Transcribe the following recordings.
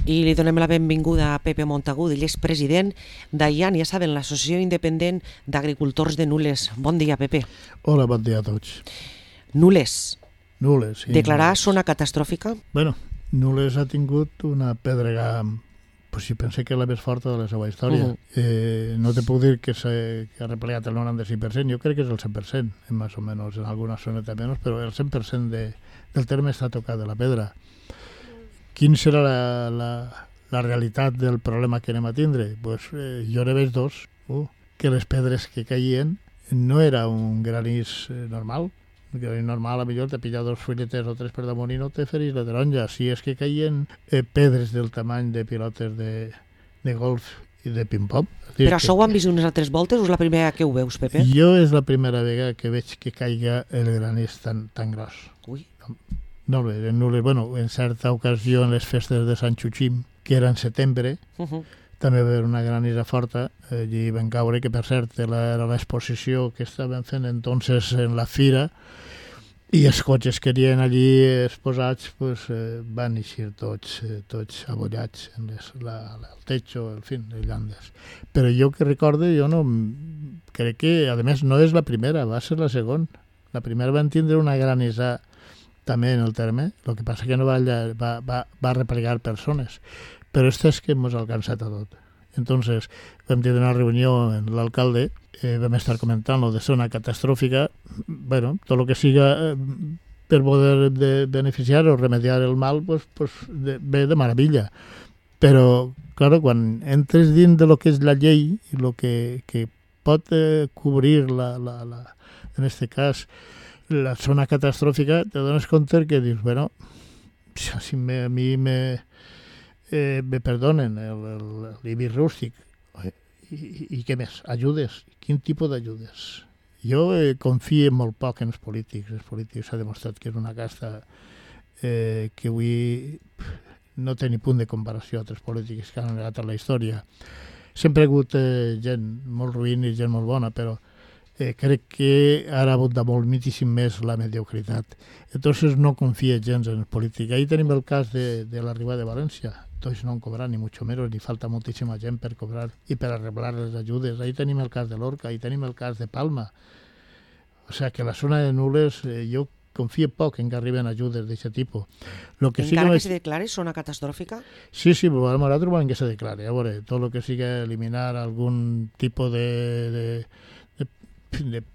I li donem la benvinguda a Pepe Montagut, ell és president d'AIAN, ja saben, l'Associació Independent d'Agricultors de Nules. Bon dia, Pepe. Hola, bon dia a tots. Nules. Nules, sí. Declarar zona catastròfica? Bueno, Nules ha tingut una pedrega, pues si pensé que la més forta de la seva història. No te puc dir que ha replegat el 95%, jo crec que és el 100%, més o menys, en alguna zoneta menys, però el 100% del terme està tocat de la pedra. Quin serà la realitat del problema que anem a tindre? Pues, jo ne veig dos. Que les pedres que caien no era un granís normal. Un granís normal, a millor te pilla 2 filetes o 3 per damunt i no te ferís la taronja. Si és que caien pedres del tamany de pilotes de golf i de ping-pong. Però això ho han vist unes altres voltes o és la primera que ho veus, Pepe? Jo és la primera vegada que veig que caiga el granís tan gros. Ui. No, bueno, en certa ocasió en les festes de Sant Xuxim, que era en setembre, també va haver una granissa forta, allí van caure, que per cert era l'exposició que estaven fent entonces en la fira, i els cotxes que eren allí exposats pues, van eixir tots abollats en el techo, en fi, les llandes. Però jo que recorde, jo no crec que, a més, no és la primera, va ser la segona. La primera van tindre una granissa també en el terme, el que passa que no va replegar persones. Però és que ens ha alcançat a tot. Entonces, vam tenir una reunió amb l'alcalde, vam estar comentant lo de zona catastròfica, bueno, tot el que siga per poder beneficiar o remediar el mal, pues ve de meravella. Però, clar, quan entres dins de lo que és la llei i el que pot cobrir, en aquest cas, la zona catastròfica, te dones compte que dius, bueno, si a mi me perdonen l'IBI rústic, i què més? Ajudes? Quin tipus d'ajudes? Jo confio molt poc en els polítics. Els polítics s'ha demostrat que és una casta que avui no té ni punt de comparació a altres polítics que han negat a la història. Sempre ha hagut gent molt ruïn i gent molt bona, però crec que ara abunda moltíssim més la mediocritat. Entonces no confia gens en el polític. Ahí tenim el cas de la Riba de València. Tots no han cobrat, ni mucho menos, ni falta moltíssima gent per cobrar i per arreglar les ajudes. Ahí tenim el cas de l'Orca, ahí tenim el cas de Palma. O sea que la zona de Nules, jo confio poc en que arriben ajudes d'aquest tipus. Encara que se declare zona catastròfica? Sí, però nosaltres volem que se declare. A veure, tot el que siga eliminar algun tipus de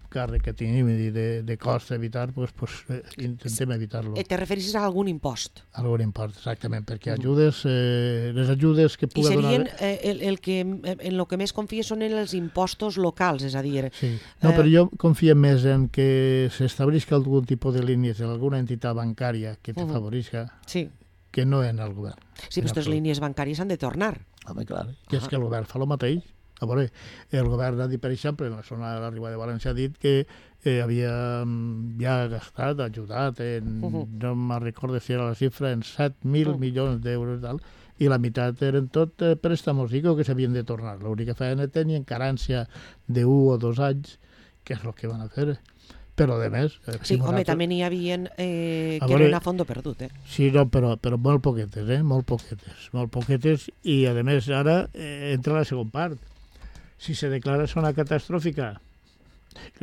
càrrec que tenim i de cost a evitar, intentem evitar-lo. Te refereixes a algun impost? Algun impost, exactament, perquè les ajudes que pugui donar... I serien, en el que més confies són en els impostos locals, és a dir... Sí, no, però jo confio més en que s'establisca algun tipus de línies en alguna entitat bancària que te favorisca, que no en el govern. Sí, però aquestes línies bancàries han de tornar. Home, clar, que és que el govern fa el mateix. A veure, el govern ha dit, per exemple, en la zona de la Riba de València, ha dit que havia ja gastat, ajudat, no me'n recordo si era la xifra, en 7.000 milions d'euros, i la meitat eren tot préstamos que s'havien de tornar. L'única feina tenien carència de 1 o 2 anys, que és el que van a fer. Però, de més... Sí, home, també n'hi havia que eren a fondo perdut, Sí, no, però molt poquetes, molt poquetes, i, a més, ara entra la segona part. Si se declara zona catastròfica,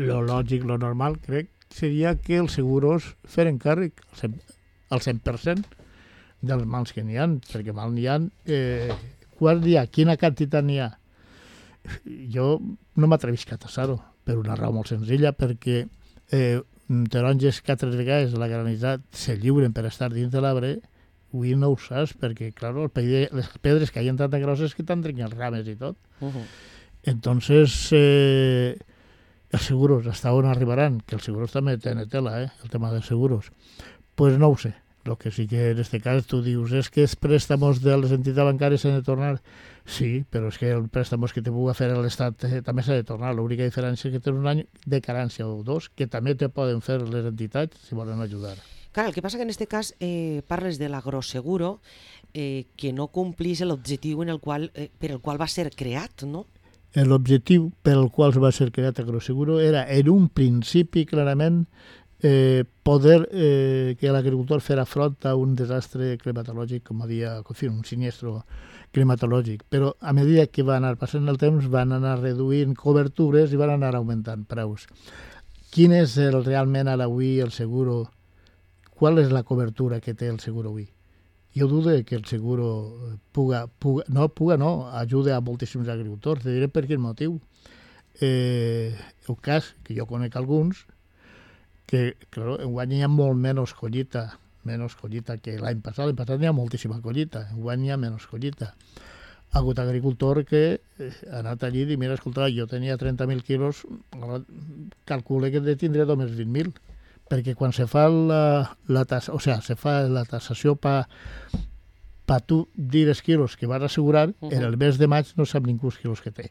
lo lògic, lo normal, crec, seria que els seguros feren càrrec al 100% dels mals que n'hi ha, perquè mal n'hi ha. Quant n'hi ha? Quina quantitat n'hi ha? Jo no m'atrevisc a tassar-ho, per una raó molt senzilla, perquè taronges que altres vegades la granissat se lliuren per estar dins de l'arbre, avui no ho saps, perquè, clar, les pedres caien tan grosses que te'n trenquen els rames i tot. Entonces, els seguros, hasta on arribaran? Que els seguros també tenen tela, el tema dels seguros. Pues no ho sé. El que sí que en aquest cas tu dius és que els préstamos de les entitats bancàries s'han de tornar. Sí, però és que el préstamos que te pugui fer a l'Estat també s'ha de tornar. L'única diferència és que tens un any de carència o 2 que també te poden fer les entitats si volen ajudar. Clar, el que passa que en aquest cas parles de l'agroseguro que no complís l'objectiu per el qual va ser creat, no? L'objectiu per al qual va ser creat Agroseguro era, en un principi, clarament, poder que l'agricultor farà front a un desastre climatològic, com havia, un siniestro climatològic. Però a mesura que va anar passant el temps van anar reduint cobertures i van anar augmentant preus. Quin és realment ara avui el seguro? Qual és la cobertura que té el seguro avui? Jo dudo que el seguro ajuda a moltíssims agricultors. Te diré per quin motiu. El cas, que jo conec alguns, que claro, enguany hi ha molt menys collita que l'any passat. L'any passat hi ha moltíssima collita, enguany hi ha menys collita. Ha hagut agricultor que ha anat allí i diu, mira, escolta, jo tenia 30.000 quilos, calcule que en tindré només 20.000, perquè quan se fa la tassació per tu dir els quilos que vas assegurar, en el mes de maig no sap ningú els quilos que té.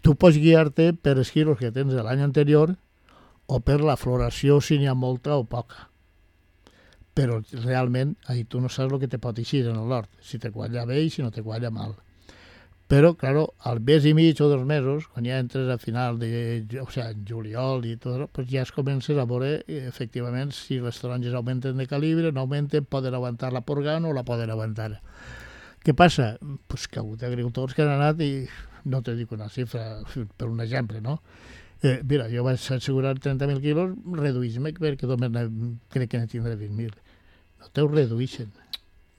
Tu pots guiar-te per els quilos que tens l'any anterior o per la floració, si n'hi ha molta o poca. Però realment ahí tu no saps el que te pot eixir en l'hort, si te qualla bé i si no te qualla mal. Però, claro, al mes i mig o 2 mesos, quan ja entres a final en juliol i tot, pues ja es comences a veure efectivament si les taronges augmenten de calibre, no augmenten, poden aguantar la porga o no la poden aguantar. Què passa? Pues que ha hagut agricultors que han anat i no te dic una xifra, per un exemple, no? Mira, jo vaig assegurar 30.000 quilos, reduïs-me perquè només crec que ne tindré 20.000. No te ho reduïxen,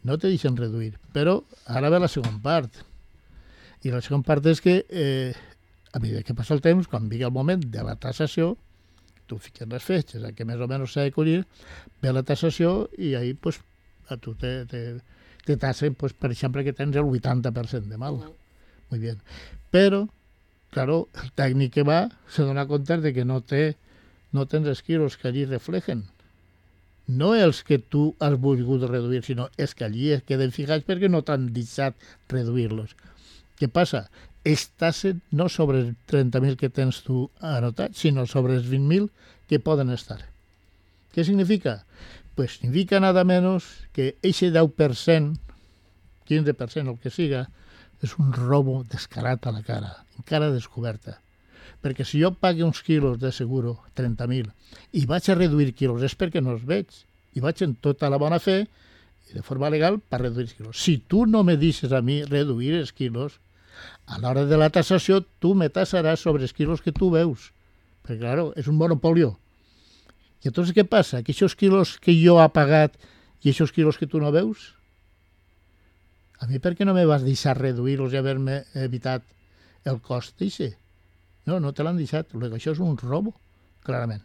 no te deixen reduir. Però ara ve la segona part. I la segona part és que a mesura que passa el temps, quan vingui el moment de la tassació, tu fiques les fetges, que més o menys s'ha de collir, ve la tassació i ahí pues, a tu te tassen, pues, per exemple, que tens el 80% de mal. Muy bien. Però, claro, el tècnic que va se dona compte de que no tens els quilos que allí reflejen. No els que tu has volgut reduir, sinó els que allí es queden fijats perquè no t'han deixat reduir-los. Què passa? Es tassen no sobre els 30.000 que tens tu anotat, sinó sobre els 20.000 que poden estar. Què significa? Pues significa nada menos que ese 10%, 15%, el que siga, és un robo descarat a la cara, encara descoberta. Perquè si jo pague uns quilos de seguro, 30.000, i vaig a reduir quilos, és perquè no els veig. I vaig en tota la bona fe, i de forma legal, per reduir els quilos. Si tu no me deixes a mi reduir els quilos, a l'hora de la tassació tu me tassaràs sobre els quilos que tu veus. Perquè, claro, és un monopolio. I llavors què passa? Que aquests quilos que jo he pagat i aquests quilos que tu no veus, a mi per què no me vas deixar reduir-los i haver-me evitat el cost d'això? No te l'han deixat. Això és un robo, clarament.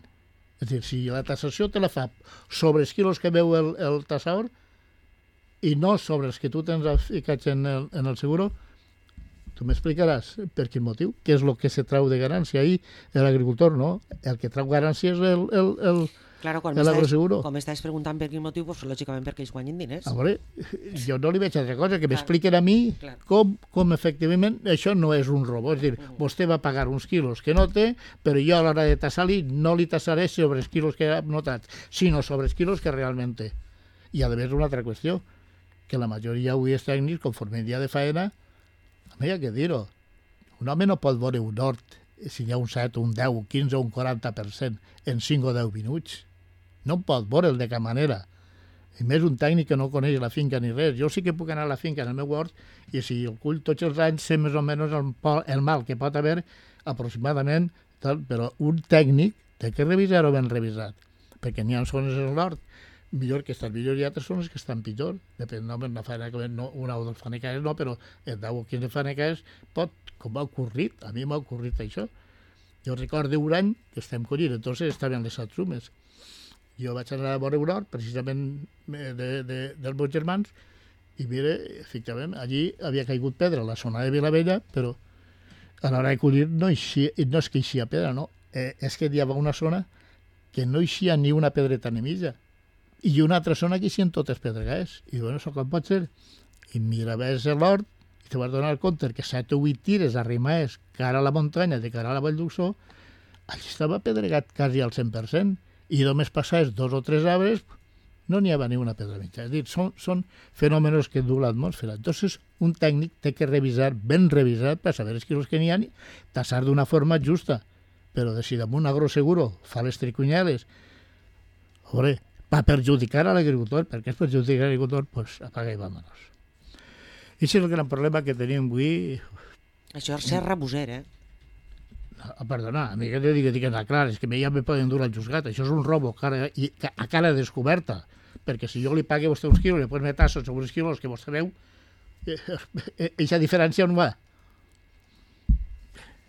És a dir, si la tassació te la fa sobre els quilos que veu el tassador i no sobre els que tu tens ficats en el seguro, tu m'explicaràs per quin motiu, què és el que se trau de garància. Ahí l'agricultor, no? El que trau garància és l'agroseguro. Com m'estàs preguntant per quin motiu, pues, lògicament perquè ells guanyen diners. A veure, jo no li veig altra cosa, que m'expliquen a mi com efectivament això no és un robo. És a dir, vostè va pagar uns quilos que no té, però jo a l'hora de tassar-li no li tassaré sobre els quilos que ha notat, sinó sobre els quilos que realment té. I a més una altra qüestió, que la majoria avui és tècnics, conforme el dia de faena, a mi hi ha que dir-ho, un home no pot veure un hort si hi ha un 7, un 10, un 15 o un 40% en 5 o 10 minuts. No pot veure'l de cap manera. I més un tècnic que no coneix la finca ni res. Jo sí que puc anar a la finca en el meu hort i si el cull tots els anys sé més o menys el mal que pot haver aproximadament, però un tècnic té que revisar-ho ben revisat, perquè n'hi ha zones en l'hort millor que estan millor i altres zones que estan pitjor. Depèn, no, una faena que no, una o dues fanecaes no, però en 10 o 15 fanecaes pot, com m'ha ocorrit, a mi m'ha ocorrit això. Jo recordo un any que estem collint, entonces estaven les atzumes. Jo vaig anar a veure un hort, precisament dels meus germans, i mira, efectivament, allí havia caigut pedra a la zona de Vilavella, però a l'hora de collir no és que eixia pedra, no. És que hi havia una zona que no eixia ni una pedreta ni mitja, i una altra zona que eixien totes pedregades. I bueno, això com pot ser? I miraves l'hort i te vas donar compte que 7 o 8 tires arrimaves cara a la muntanya, de cara a la Vall d'Uxó, allí estava pedregat quasi al 100%, i només passaves 2 o 3 arbres, no n'hi havia ni una pedra mitja. És a dir, són fenòmenos que du l'atmosfera. Entonces, un tècnic té que revisar, ben revisat, per saber els quilos que n'hi ha, tassar d'una forma justa. però si damunt Agroseguro fa les tricunyades, va perjudicar a l'agricultor, perquè és perjudicar a l'agricultor, doncs apaga i vámonos. I és el gran problema que tenim avui. Això és ser rabuser, Perdona, a mi que te dic clar, és que ja me poden dur al juzgat, això és un robo a cara descoberta, perquè si jo li pague a vostè uns quilos, després me tasso sobre uns quilos que vostè veu, aquesta diferència on va?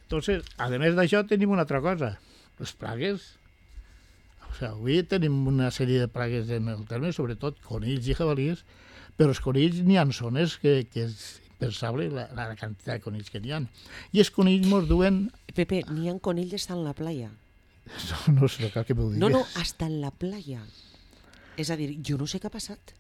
Entonces, a més d'això, tenim una altra cosa, les plagues. Avui tenim una sèrie de plagues en el terme, sobretot conills i jabalís, però els conills n'hi ha zones que és impensable la quantitat de conills que n'hi ha. I els conills mos duen... Pepe, n'hi ha conills hasta en la playa. No sé, cal que m'ho digues. No, hasta en la playa. És a dir, jo no sé què ha passat.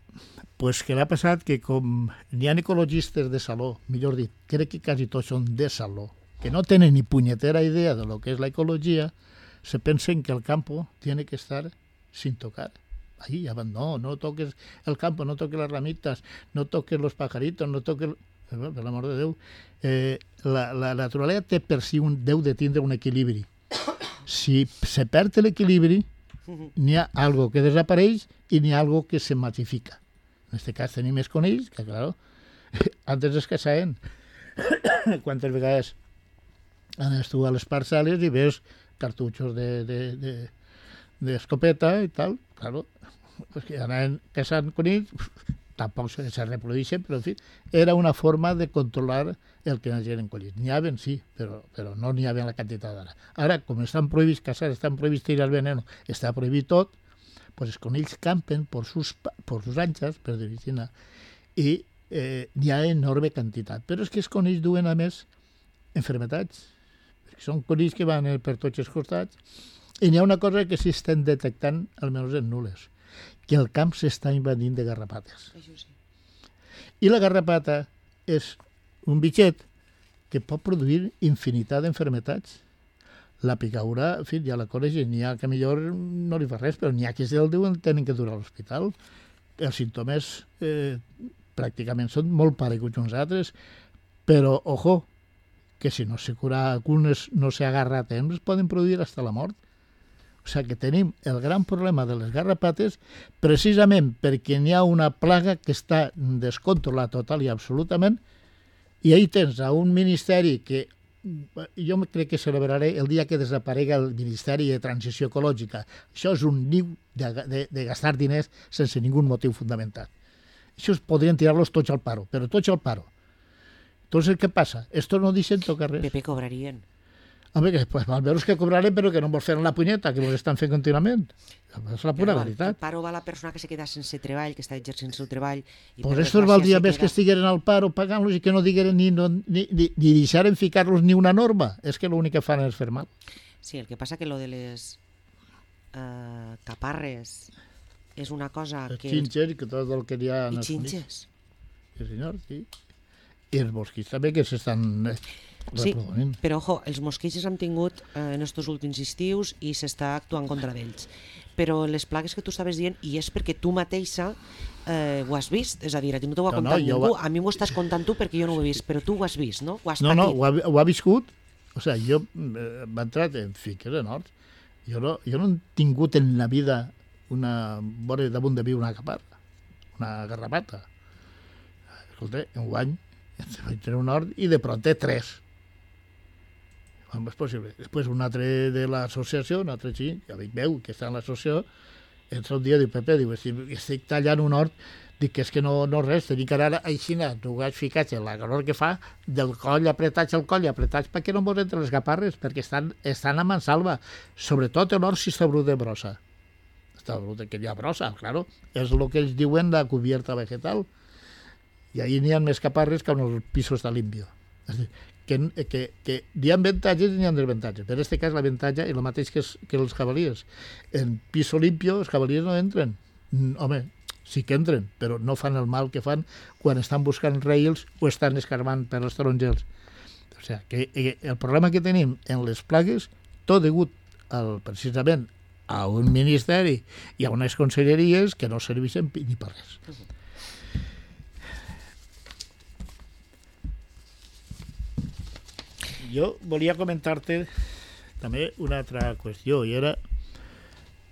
Pues que l'ha passat que com n'hi ha ecologistes de saló, millor dit, crec que quasi tots són de saló, que no tenen ni punyetera idea de lo que és la ecologia, se pensen que el campo tiene que estar sin tocar. Ahí, no toques el campo, no toques las ramitas, no toques los pajaritos, no toques... Per l'amor de Déu, la naturalesa té per si deu de tindre un equilibri. Si se perd l'equilibri, n'hi ha algo que desapareix i n'hi ha algo que se masifica. En aquest cas tenim més conills, que claro, antes es caçaven. Quantes vegades anes tu a les parcel·les i veus cartutxos d'escopeta i tal, claro, pues que anaven caçant conills, tampoc se reprodueixen, però en fi, era una forma de controlar el que anaven collits. N'hi havia, sí, però no n'hi havia la quantitat d'ara. Ara, com estan prohibits caçar, estan prohibits tirar veneno, està prohibit tot, pues els conills campen por sus anchas, per dir-ho, i n'hi ha enorme quantitat. Però és que els conills duen, a més, enfermetats. Són conills que van per tots els costats, i n'hi ha una cosa que sí estem detectant, almenys en nules, que el camp s'està invadint de garrapates. Això sí. I la garrapata és un bitxet que pot produir infinitat d'enfermetats. La picaura, en fi, ja la coneix, n'hi ha que millor no li fa res, però n'hi ha que se'l diuen tenen que dur a l'hospital. Els símptomes pràcticament són molt pareguts uns altres, però, ojo, que si no se cura algunes, no se agarra a temps, poden produir hasta la mort. O sigui que tenim el gran problema de les garrapates precisament perquè n'hi ha una plaga que està descontrolada total i absolutament, i ahí tens a un ministeri que jo crec que celebraré el dia que desaparega el Ministeri de Transició Ecològica. Això és un niu de gastar diners sense ningú motiu fundamental. Això podrien tirar-los tots al paro, però tots al paro. Entonces, què passa? Estos no deixen tocar res. Pepe, cobrarien. Home, pues almenys que cobrarem, però que no vols fer la punyeta, que ens estan fent contínuament. És la pura veritat. El paro va la persona que se queda sense treball, que està exercint el seu treball. Pues estos valdria més que estigueren al paro pagant-los i que no digueren ni deixaren ficar-los ni una norma. És que l'únic que fan és fer mal. Sí, el que passa que lo de les caparres és una cosa que... Els xinxes, que tot el que hi ha... I xinxes. Sí, senyor, sí. I els mosquits també, que s'estan... Sí, però ojo, els mosquits hem tingut en estos últims estius i s'està actuant contra d'ells. Però les plagues que tu estaves dient, i és perquè tu mateixa ho has vist, és a dir, a ti no t'ho ha contat ningú, a mi m'ho estàs contant tu perquè jo no ho he vist, però tu ho has vist, no? Ho has patit. No, ho ha viscut. O sigui, jo m'he entrat en fiques en horts. Jo no he tingut en la vida una vora damunt de mi una caparra, una garrapata. Escolta, en un any vaig tenir un hort i de pronto 3. Com és possible? Després un altre de l'associació, un altre xic, que amic meu, que està en l'associació, entra un dia i diu, Pepe, diu, estic tallant un hort, dic que és que no res, tenim que anar així, tu has ficat la calor que fa, del coll apretats al coll, apretats perquè no mos entre les gaparres, perquè estan a mansalva, sobretot l'hort si està brut de brossa. Està brut que hi ha brossa, claro, és el que ells diuen la cubierta vegetal, i ahí n'hi ha més caparres que en el piso està limpio. És a dir, que hi ha avantatges i hi ha desavantatges. Per aquest cas l'avantatge és el mateix que els jabalíes. En piso limpio els jabalíes no entren. Home, sí que entren, però no fan el mal que fan quan estan buscant rails o estan escarbant per els tarongers. O sigui, que el problema que tenim en les plagues, tot degut precisament a un ministeri i a unes conselleries que no serveixen ni per res. Jo volia comentar-te també una altra qüestió, i era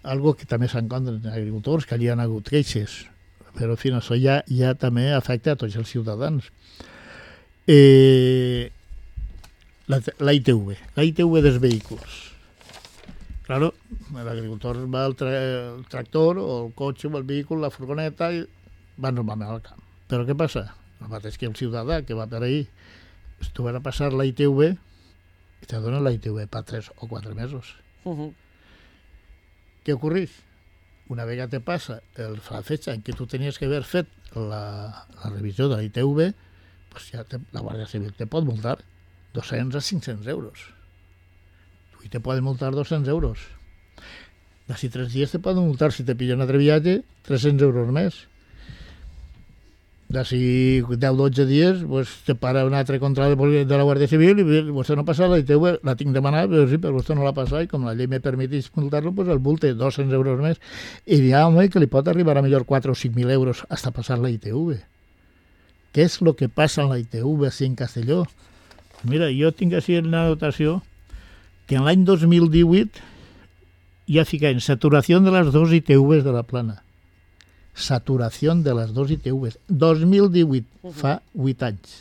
algo que també s'encontra en agricultors, que hi ha hagut queixes, però en fi, això ja també afecta a tots els ciutadans. La ITV dels vehicles. Claro, l'agricultor va al tractor o el cotxe o el vehícul, la furgoneta, i va normalment al camp. Però què passa? El mateix que el ciutadà que va per ahir, tu vas a passar la ITV i te donen la ITV per 3 o 4 mesos. Què ocorreix? Una vegada te passa la fecha en què tu tenies que haver fet la revisió de la ITV, pues ja la Guàrdia Civil te pot multar 200 a 500 euros. I te poden multar 200 euros. D'ací 3 dies te poden multar, si te pillen un altre viatge, 300 euros més. D'ací 10-12 dies pues, te para un altre control de la Guàrdia Civil i vostè no passa la ITV, la tinc demanada, però sí, però vostè no la passa i com la llei me permetís multar-lo, pues el multe 200 euros més. I hi ha home que li pot arribar a millor 4 o 5.000 euros hasta passar la ITV. Què és el que passa en la ITV així en Castelló? Mira, jo tinc així en la notació que en l'any 2018 ja ficaven saturació de les 2 ITVs de la plana. Saturació de les 2 ITVs. 2018, fa 8 anys.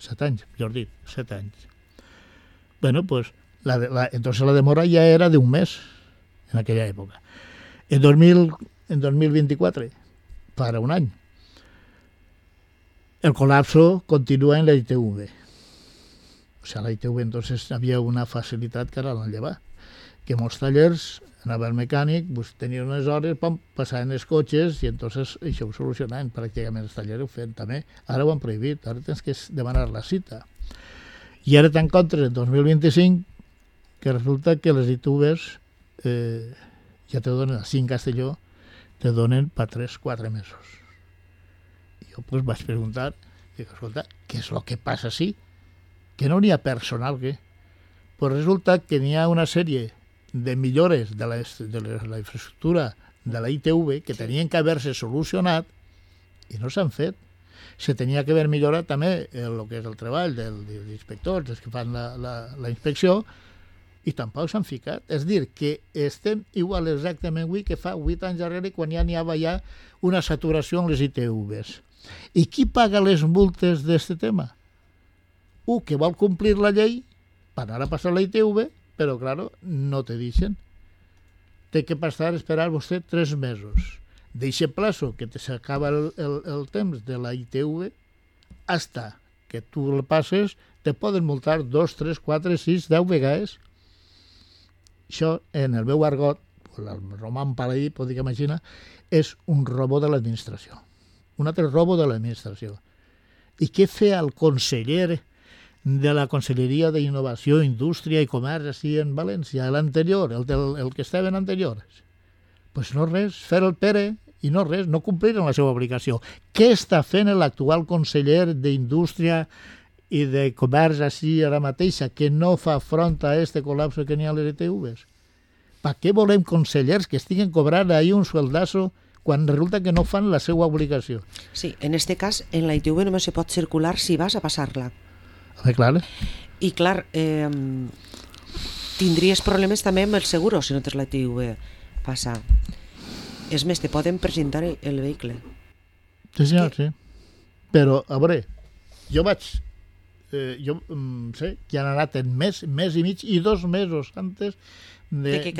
7 anys, millor dit, 7 anys. Bueno, pues, entonces la demora ja era d'un mes en aquella època. En 2024, para un any. El colapso continua en la ITV. O sea, la ITV entonces havia una facilitat que era l'enllevar, que molts tallers anava el mecànic, pues, tenien unes hores, passaven els cotxes i entonces això ho solucionaven, pràcticament els tallers ho feien també. Ara ho han prohibit, ara tens que demanar la cita. I ara t'encontres en 2025 que resulta que les ITVs ja te donen, així en Castelló, te donen per 3-4 mesos. I jo pues, vaig preguntar, dic, escolta, què és el que passa així? Que no n'hi ha personal, què? Pues resulta que n'hi ha una sèrie de millores de la infraestructura de la ITV que tenien que haver-se solucionat i no s'han fet. Se tenia que haver millorat també el que és el treball dels inspectors, els que fan la inspecció, i tampoc s'han ficat. És dir, que estem igual exactament avui que fa 8 anys darrere quan ja n'hi havia ja una saturació en les ITVs. I qui paga les multes d'aquest tema? Que vol complir la llei per anar a passar la ITV, però, claro, no te deixen. Té que passar, esperar vostè 3 mesos. D'eixe plazo que s'acaba el temps de la ITV, hasta que tu el passes, te poden multar 2, 3, 4, 6, 10 vegades. Això, en el meu argot, el roman paladí, podria imaginar, és un robo de l'administració. Un altre robo de l'administració. I què feia el conseller de la Conselleria d'Innovació, Indústria i Comerç així en València, l'anterior, el que estava en anterior? Pues no res, fer el Pere i no res, no complir la seva obligació. Què està fent l'actual conseller d'Indústria i de Comerç així ara mateixa que no fa front a este col·lapse que n'hi ha a les ITVs? Per què volem consellers que estiguen cobrant ahir un sueldazo quan resulta que no fan la seva obligació? Sí, en este cas, en la ITV només se pot circular si vas a passar-la. Clar. I clar, tindries problemes també amb el seguro si no tens la ITV passar. És més, te poden presentar el vehicle. Sí, senyor, sí. Però, a veure, jo sé que han anat en mes i mig i 2 mesos antes de que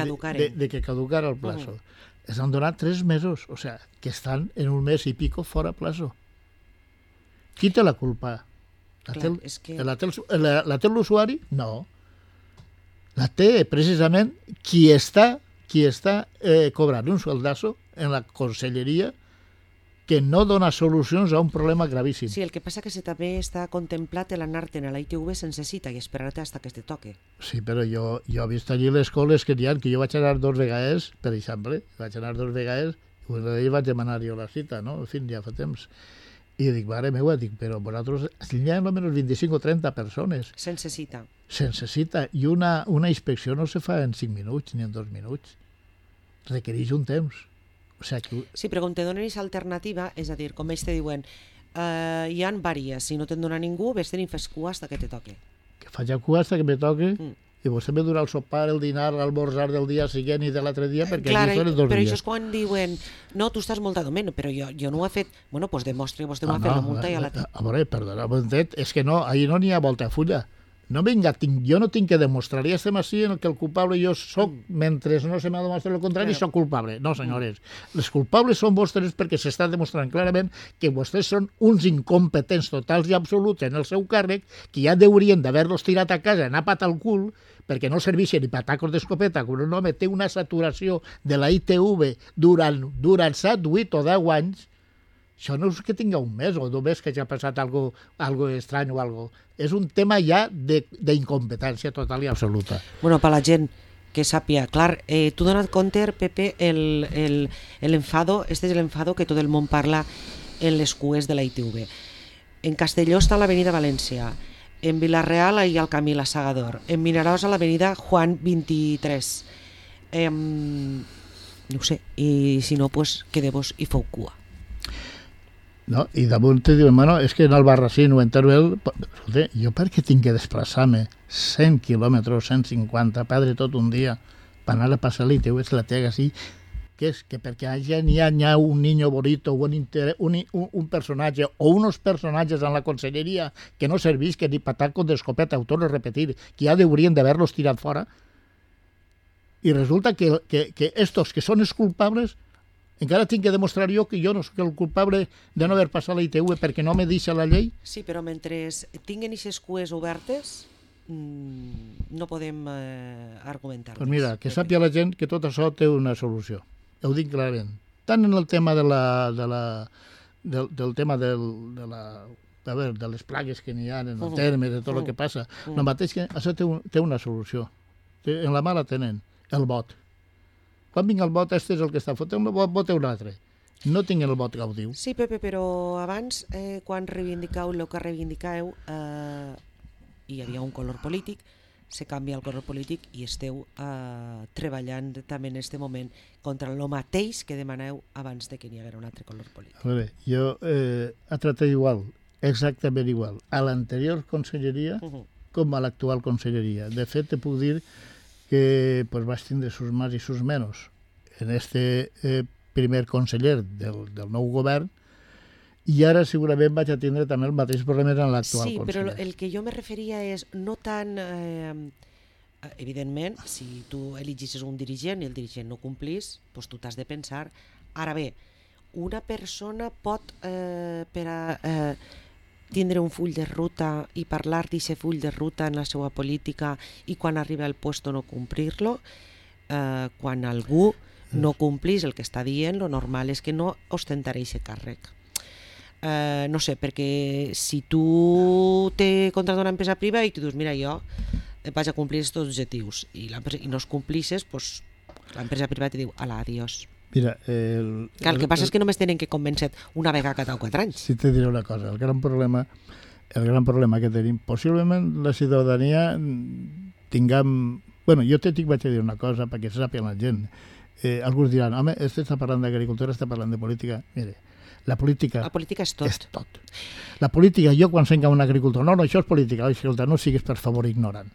caducara el plazo. Es han donat 3 mesos, o sea, que estan en un mes i pico fora plazo. Qui té la culpa? La té l'usuari? No. La té precisament qui està cobrant un sueldazo en la conselleria que no dona solucions a un problema gravíssim. Sí, el que passa que també està contemplat l'anar-te'n a la ITV sense cita i esperar-te hasta que te toque. Sí, però jo he vist allí les coles que n'hi ha, que jo vaig anar 2 vegades, per exemple, vaig anar 2 vegades i una d'elles vaig demanar jo la cita, no? En fi, ja fa temps. I dic, mare meva, però vosaltres hi ha almenys 25 o 30 persones. Sense cita. Sense cita. I una inspecció no se fa en 5 minuts ni en 2 minuts. Requereix un temps. O sea que... Sí, però com te donen aquesta alternativa, és a dir, com ells te diuen, hi ha vàries, si no te'n dona ningú, vés tenint fes cua hasta que te toque. Que faig cua hasta que me toque, i vostè me durà el sopar, el dinar, l'almorzar del dia següent i de l'altre dia, perquè allí són els 2 però dies. això és quan diuen, no, tu estàs molt adament, però jo no ho he fet. Bueno, doncs demostri, vostè m'ha fet la multa i a l'altre. A veure, perdona, és que no, ahir no n'hi ha volta a fulla. No vinga, jo no tinc que demostrar, ja estem així en el que el culpable jo soc, mentre no se m'ha demostrat el contrari, soc culpable. No, senyores, les culpables són vostres perquè s'està demostrant clarament que vostès són uns incompetents totals i absoluts en el seu càrrec, que ja haurien d'haver-los tirat a casa, anar pat al cul, perquè no serveixen ni per tacos d'escopeta, quan un home té una saturació de la ITV durant 7, 8 o 10 anys. Això no és que tinga un mes o 2 mesos que ja ha passat algo estrany o algo. És un tema ja d'incompetència total i absoluta. Bueno, per la gent que sàpia, clar, tu donat compte, Pepe, l'enfado, este és l'enfado que tot el món parla en les cues de la ITV. En Castelló està l'avenida València, en Vila-real hi ha el camí La Sagador, en Vinaròs a l'avenida Juan 23. No ho sé, i si no, pues quedeu-vos i feu cua. No? I damunt te diuen, bueno, és que en el Barracín o en Teruel, escolta, jo per què tinc que desplaçar-me 100 quilòmetres, 150, perdre tot un dia per anar a passar l'ITV, la tega així, que és que perquè allà n'hi ha un niño bonito, un personatge o unos personatges en la conselleria que no servisquen ni patacos d'escopeta, ho torno a repetir, que ja haurien d'haver-los tirat fora, i resulta que estos que són els culpables encara tinc que demostrar jo que jo no soc el culpable de no haver passat la ITV perquè no me deixa la llei? Sí, però mentre tinguen aquestes cues obertes no podem argumentar. Doncs mira, que sàpia la gent que tot això té una solució. Ho dic clarament. Tant en el tema del tema de les plagues que n'hi ha en el terme, de tot el que passa, el mateix que això té una solució. En la mà la tenen, el vot. Quan vinga el vot, este és el que està fotent, un vot un altre. No tinc el vot gaudiu. Sí, Pepe, però abans, quan reivindicau el que reivindicau, hi havia un color polític, se canvia el color polític i esteu treballant també en aquest moment contra el mateix que demaneu abans de que n'hi haguera un altre color polític. A veure, jo he tratat igual, exactament igual, a l'anterior conselleria com a l'actual conselleria. De fet, te puc dir que pues, vaig tindre sus más i sus menos en este primer conseller del nou govern i ara segurament vaig a tindre també el mateix problema en l'actual conseller. Sí, però el que jo me referia és no tant... evidentment, si tu eligissis un dirigent i el dirigent no complís, doncs tu t'has de pensar. Ara bé, una persona pot per a... tindre un full de ruta i parlar d'aquest full de ruta en la seva política i quan arriba al puesto no complir-lo, quan algú no complís el que està dient, lo normal és que no ostentarà aquest càrrec. No sé, perquè si tu te contractes una empresa privada i tu dius, mira, jo vaig a complir aquests objectius i no els complisses, doncs l'empresa privada te diu, ala, adiós. Mira, el que passa és que només tenen que convèncer una vegada cada 4 anys. Sí, te diré una cosa, el gran problema que tenim, possiblement la ciutadania tinguem... Bueno, jo vaig a dir una cosa perquè se sàpiga la gent. Alguns diran, home, este està parlant d'agricultura, està parlant de política. Mire, la política és tot. És tot. La política, jo quan senc a un agricultor, no, això és política, escolta, no siguis per favor ignorant.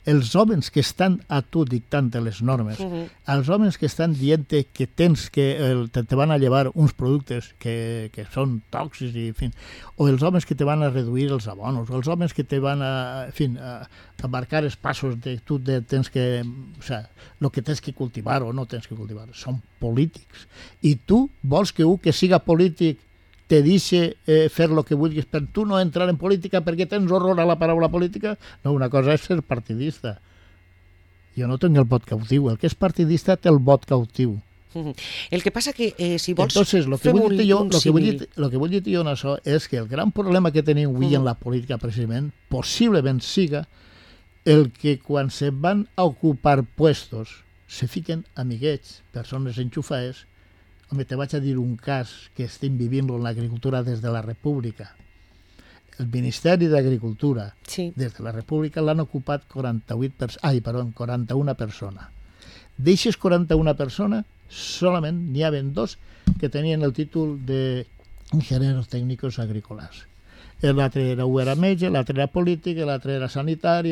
Els homes que estan a tu dictant les normes, els homes que estan dient que tens que te van a llevar uns productes que són tòxics, i, en fi, o els homes que te van a reduir els abonos, o els homes que te van a marcar els passos de tu tens que... O sigui, el que tens que cultivar o no tens que cultivar. Són polítics. I tu vols que un que siga polític te deixe fer el que vulguis per tu no entrar en política perquè tens horror a la paraula política? No, una cosa és ser partidista. Jo no tinc el vot cautiu. El que és partidista té el vot cautiu. El que passa que si vols... Entonces, lo que vull dir jo en això és que el gran problema que tenim avui en la política precisament, possiblement siga el que quan se van a ocupar puestos se fiquen amiguets, persones enxufades. Home, te vaig a dir un cas que estem vivint en l'agricultura des de la República. El Ministeri d'Agricultura, des de la República, l'han ocupat 41 persones. D'eixes 41 persones, solament n'hi havia 2 que tenien el títol d'ingenieros tècnicos agrícolas. L'altre era metge, l'altre era polític, l'altre era sanitari.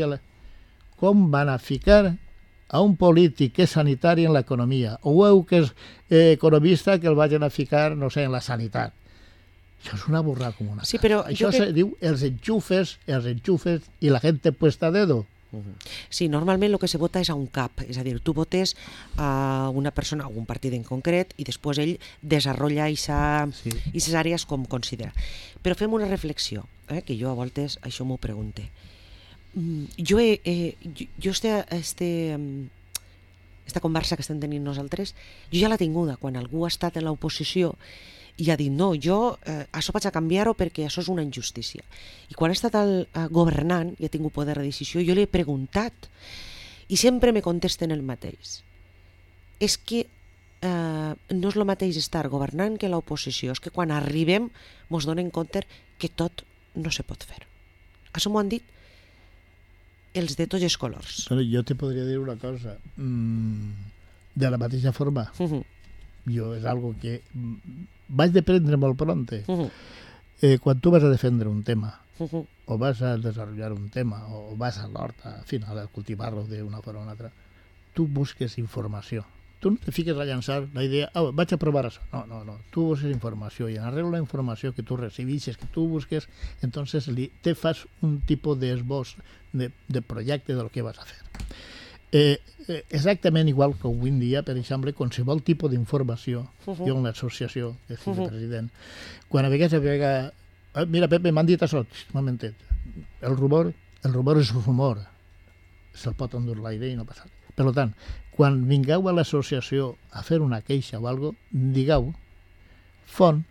com van a ficar a un polític que és sanitari en l'economia, o un que és economista que el vagin a ficar, no sé, en la sanitat. Això és una burrada com una sí, però això se diu els enxufes i la gent puesta a dedo. Sí, normalment el que se vota és a un cap, és a dir, tu votes a una persona, a un partit en concret, i després ell desenvolupa aquestes àrees com considera. Però fem una reflexió, que jo a voltes això m'ho pregunte. Jo esta conversa que estem tenint nosaltres, jo ja l'he tinguda quan algú ha estat en l'oposició i ha dit, no, jo això vaig a canviar-ho perquè això és una injustícia. I quan he estat governant i he tingut poder de decisió, jo li he preguntat i sempre me contesten el mateix. És que no és el mateix estar governant que l'oposició, és que quan arribem ens donem compte que tot no se pot fer. Això m'ho han dit els de tots els colors. Però jo te podria dir una cosa. De la mateixa forma, jo és algo que vaig deprendre molt pronte. Quan tu vas a defendre un tema, o vas a desenvolupar un tema, o vas a l'horta, al final, a cultivar-lo d'una forma o una altra, tu busques informació. Tu no te fiques a llançar la idea, vaig a provar això. No. Tu busques informació i en arrel la informació que tu recibixes, que tu busques, entonces te fas un tipus d'esbós de projecte del que vas a fer. Exactament igual que avui en dia, per exemple, qualsevol tipus d'informació, jo en l'associació, que és el president, quan a vegades mira, Pepe, m'han dit això, un momentet, el rumor és rumor, se'l pot endur l'aire i no passa res. Per tant, quan vingueu a l'associació a fer una queixa o alguna cosa, digueu font,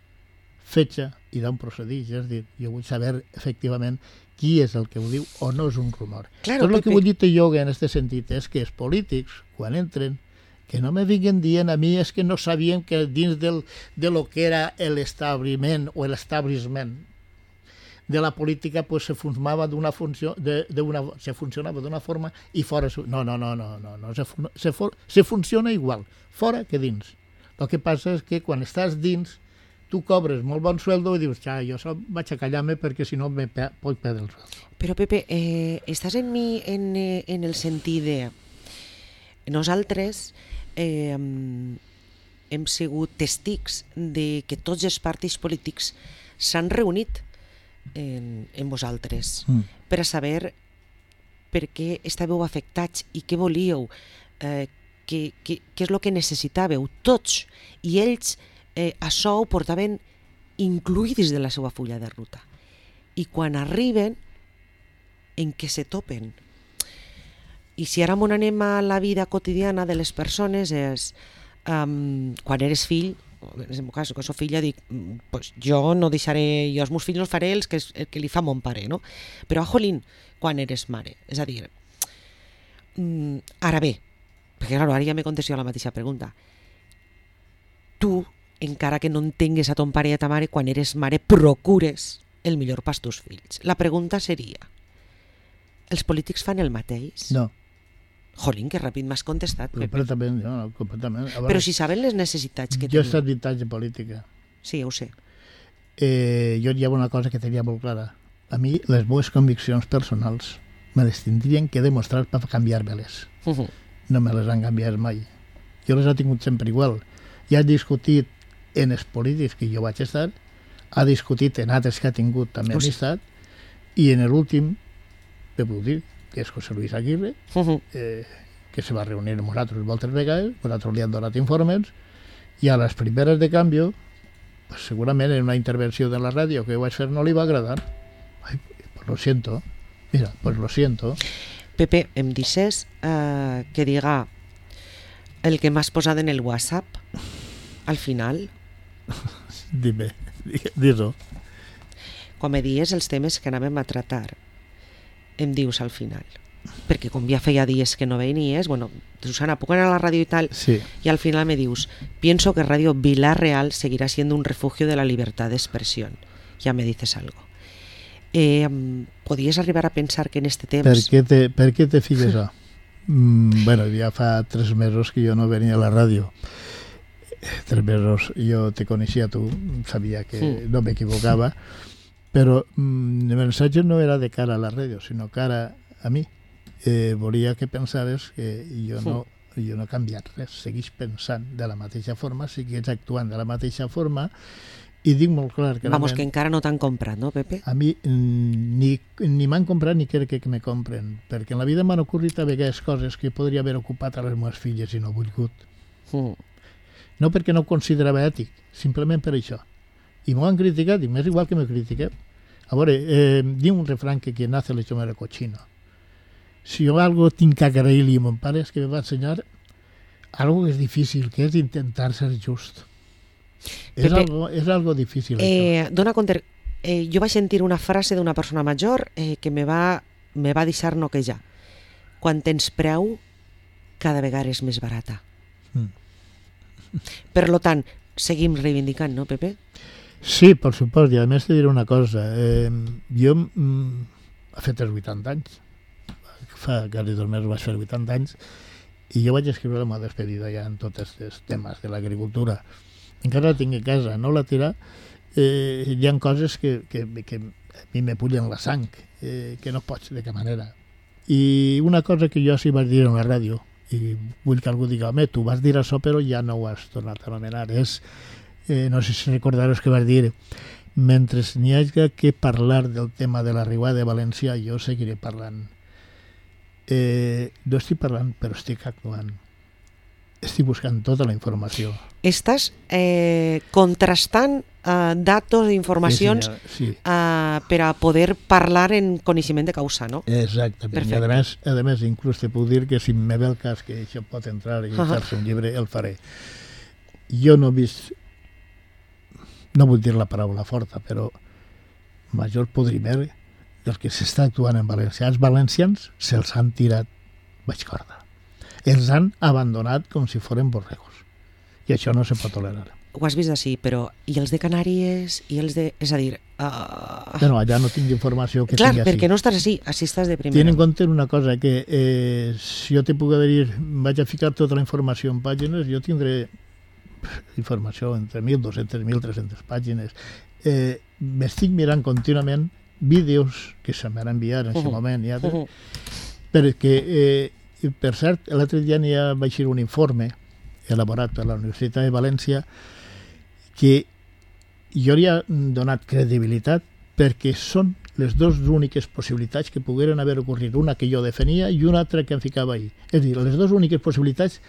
fetge i d'on procedix. És a dir, jo vull saber efectivament qui és el que ho diu o no és un rumor. Claro, tot el que vull dir jo en aquest sentit és que els polítics, quan entren, que no me vinguin dient a mi és que no sabien que dins de lo que era l'establiment o l'establishment de la política pues se funcionava d'una funció se funcionava d'una forma i fora no se funciona igual fora que dins. El que passa és que quan estàs dins tu cobres molt bon sueldo i dius, jo vaig a callar-me perquè si no puc perdre el sueldo. Però Pepe, estàs en mi en el sentit de nosaltres hem sigut testics de que tots els partits polítics s'han reunit en vosaltres per a saber per què estàveu afectats i què volíeu, què és el que necessitàveu tots, i ells això ho portaven incluïdis de la seva fulla de ruta. I quan arriben, en què se topen? I si ara anem a la vida quotidiana de les persones, és quan eres fill, en el meu cas, que soc filla, dic, pues jo no deixaré, jo als meus fills no faré el que li fa mon pare, no? Però, jolín, quan eres mare, és a dir, ara bé, perquè clar, ara ja m'he contestat la mateixa pregunta, tu, encara que no entengues a ton pare i a ta mare, quan eres mare procures el millor pels teus fills. La pregunta seria, els polítics fan el mateix? No. Jolín, que ràpid m'has contestat. Completament, no, completament. Veure, però si saben les necessitats que jo he estat 20 anys de política. Sí, ja ho sé. Jo hi ha una cosa que tenia molt clara. A mi, les meves conviccions personals me les tindrien que demostrar per canviar-me-les. No me les han canviat mai. Jo les he tingut sempre igual. Ja he discutit en els polítics que jo vaig estar, ha discutit en altres que ha tingut també amistat, i en l'últim, te puc dir, que és José Luis Aguirre, que se va reunir amb nosaltres moltes vegades, nosaltres li han donat informes, i a les primeres de canvi, pues segurament en una intervenció de la ràdio que vaig fer no li va agradar. Ai, pues lo siento. Mira, pues lo siento. Pepe, em dices que diga el que m'has posat en el WhatsApp al final? Dime, dis-ho. Quan me dies els temes que anàvem a tratar, em dius al final, perquè com ja feia dies que no venies, bueno, Susana, puc anar a la ràdio i tal, sí. Y al final me dius, pienso que Radio Vilar Real seguirá siendo un refugio de la libertad de expresión. Ya me dices algo. ¿Podries arribar a pensar que en este temps... Per què te fiques això? Bueno, ja fa 3 mesos que jo no venia a la ràdio. 3 mesos jo te coneixia tu, sabia que no m'equivocava, però el mensatge no era de cara a la ràdio, sinó cara a mi. volia que pensares que jo no he canviat res, segueix pensant de la mateixa forma, segueix actuant de la mateixa forma, i dic molt clar que... Vamos, que encara no t'han comprat, no, Pepe? A mi ni m'han comprat ni crec que me compren, perquè en la vida m'han ocorrit a vegades coses que podria haver ocupat a les meves filles i no he volgut. No perquè no ho considerava ètic, simplement per això. I m'ho han criticat, i m'és igual que me critiqueu. A veure, diu un refrán que quien nace lecho muere cochino. Si jo algo tinc que agrair-li a mon pare és que me va ensenyar algo que és difícil, que és intentar ser just. Pepe, és algo difícil. Dona compte, jo vaig sentir una frase d'una persona major que me va deixar noquejar. Quan tens preu, cada vegada és més barata. Per tant, seguim reivindicant, no, Pepe? Sí, per supost, i a més te diré una cosa. Jo he fet els 80 anys, fa quasi 2 mesos vaig fer 80 anys, i jo vaig escriure la meva despedida ja en tots els temes de l'agricultura. Encara la tinc a casa, no la tirar. Hi ha coses que a mi me pullen la sang, que no pots de cap manera. I una cosa que jo sí vaig dir en la ràdio, i vull que algú digui, home, tu vas dir això però ja no ho has tornat a anomenar, és, no sé si recordaros que vas dir, mentre n'hi hagi que parlar del tema de la Riuada de València, jo seguiré parlant. No estic parlant, però estic actuant. Estic buscant tota la informació. Estàs contrastant datos, informacions sí. Per a poder parlar en coneixement de causa, no? Exactament. Perfecte. I a més, inclús te puc dir que si me ve el cas que això pot entrar i fer-se un llibre, el faré. Jo no he vist, no vull dir la paraula forta, però major podrimer del que s'està actuant en València. Els valencians se'ls han tirat baix corda. Els han abandonat com si foren borregos. I això no se pot tolerar. Ho has vist així, però i els de Canàries? I els de... És a dir... Bueno, allà no tinc informació que clar, sigui així. perquè no estàs així estàs de primera. Ten en compte una cosa, que si jo te puc dir, vaig a ficar tota la informació en pàgines, jo tindré informació entre 1.200 i 1.300 pàgines. M'estic mirant contínuament vídeos que se m'han enviat en aquest moment, perquè, per cert, l'altre dia va eixir un informe elaborat per la Universitat de València que jo li he donat credibilitat perquè són les dues úniques possibilitats que pogueren haver ocorrit, una que jo defenia i una altra que em ficava ahí. És a dir, les dues úniques possibilitats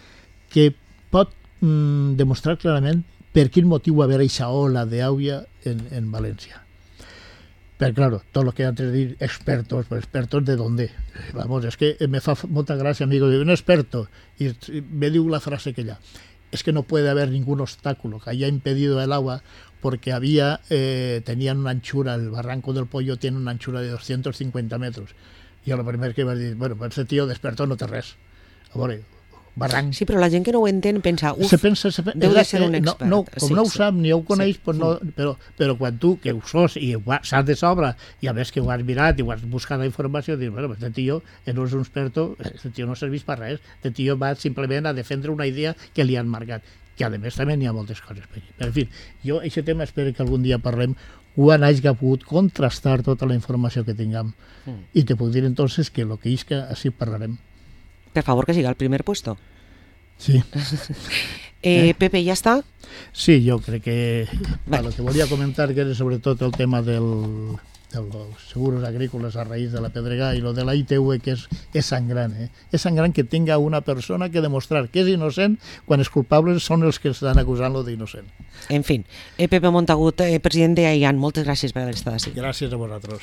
que pot demostrar clarament per quin motiu va haver aquesta ola d'aigua en València. Pero claro, todo lo que antes de decir expertos, pues expertos de dónde. Vamos, es que me fa molta gràcia, amigo, de un experto, y me diu la frase que ya, es que no puede haber ningún obstáculo que haya impedido el agua porque tenían una anchura, el Barranco del Pollo tiene una anchura de 250 metros. Y a lo primero que vas a decir, bueno, pues ese tío d'experto no té res. A veure, barranc. Sí, però la gent que no ho entén pensa, deu de ser un expert. Com no ho sap ni ho coneix, pues no, però quan tu, que ho sos i saps de sobre, i a més que ho has mirat i ho has buscat la informació, dius, bueno, este tío no és un experto, este tío no serveix per res, este tío va simplement a defendre una idea que li han marcat, que a més també n'hi ha moltes coses per allà. En fi, jo aquest tema espero que algun dia parlem quan hagi pogut contrastar tota la informació que tinguem. I te puc dir entonces que lo que isca, així parlarem. Per favor, que siga el primer puesto. Sí. Pepe, ¿ya está? Sí, yo creo que lo que volia comentar que era sobretot el tema dels seguros agrícolas a raíz de la pedregada y lo de la ITV, que és sangrant. És sangrant que tenga una persona que demostrar que és innocent quan els culpables són els que estan acusant-lo d'innocent. En fin, Pepe Montagut, president d'AIAN, moltes gràcies per haver estat així. Gràcies a vosaltres.